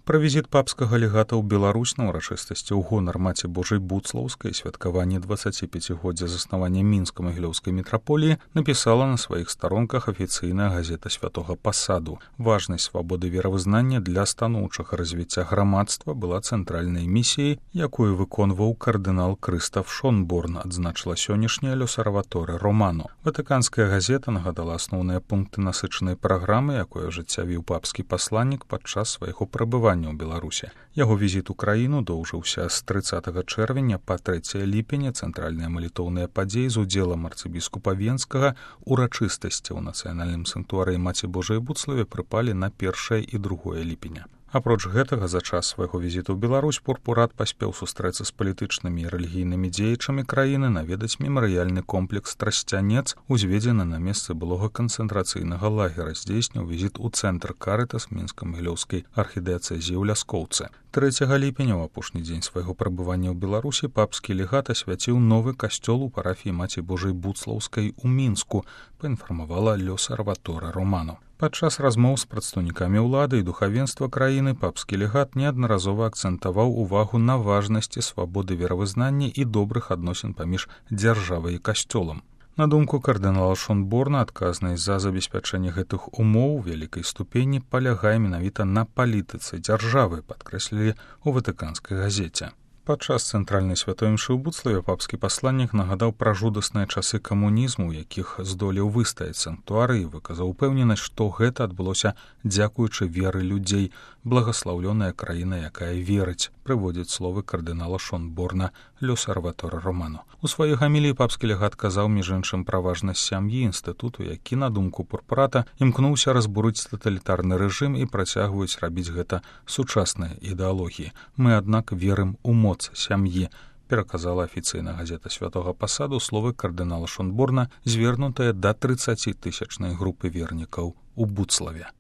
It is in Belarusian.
Пра візіт папскага легата ў Беларусь на ўрачыстасці ў гонар Маці Божай Буцлаўскай і святкаванне 25годдзя заснавання мінска-магілёўскай мітраполіі напісала на сваіх старонках афіцыйная газета Святога Пасаду. Важнасць свабоды веравызнання для станоўчага развіцця грамадства была цэнтральнай місіяй, якую выконваў кардынал Крыстаф Шонборн, адзначыла сённяшняя Лёсарваторе Романо. Ватыканская газета нагадала асноўныя пункты насычанай праграмы, якую ажыццявіў папскі пасланнік падчас свайго прабывання ў Беларусі. Яго візіт у краіну доўжыўся з 30 чэрвеня па 3 ліпеня. Цэнтральныя малітоўныя падзеі з удзелам арцыбіскупа Венскага урачыстасці ў нацыянальным санктуарыі Маці Божай Буцлаве прыпалі на 1 і 2 ліпеня. Апроч гэтага, за час свайго візіту ў Беларусь пурпурат паспеў сустрэцца з палітычнымі і рэлігійнымі дзеячамі краіны, наведаць мемарыяльны комплекс Трасцянец, узведзены на месцы былога канцэнтрацыйнага лагера, здзейсніў візіт у цэнтр Карытас мінска-магілёўскай архідыяцэзіі ў Ляскоўцы. 3 ліпеня, у апошні дзень свайго прабывання ў Беларусі, папскі легат асвяціў новы касцёл у парафіі Маці Божай Буцлаўскай у Мінску, паінфармавала Лёсарваторе Романо. Падчас размоў з прадстаўнікамі ўлады і духавенства краіны папскі легат неаднаразова акцэнтаваў увагу на важнасці свабоды веравызнання і добрых адносін паміж дзяржавай і касцёлам. На думку кардынала Шонборна, адказнасць за забеспячэнне гэтых умоў у вялікай ступені палягае менавіта на палітыцы дзяржавы, падкрэслілі ў ватыканскай газеце. Падчас цэнтральнай святой імшы ў Буцлаве папскі пасланнік нагадаў пра жудасныя часы камунізму, у якіх здолеў выстаяць санктуары, і выказаў упэўненасць, што гэта адбылося дзякуючы веры людзей, благаслаўлёная краіна, якая верыць, прыводзіць словы кардынала Шонборна Лёсарваторе Романо. У сваёй гаміліі папскі легат казаў, між іншым, пра важнасць сям'і, інстытуту, які, на думку пурпурата, імкнуўся разбурыць таталітарны рэжым і працягваюць рабіць гэта сучасныя ідэалогіі. Мы, аднак, верым у моц сям'і, пераказала афіцыйная газета Святога Пасаду словы кардынала Шонборна, звернутыя да 30-тысячнай групы вернікаў у Буцлаве.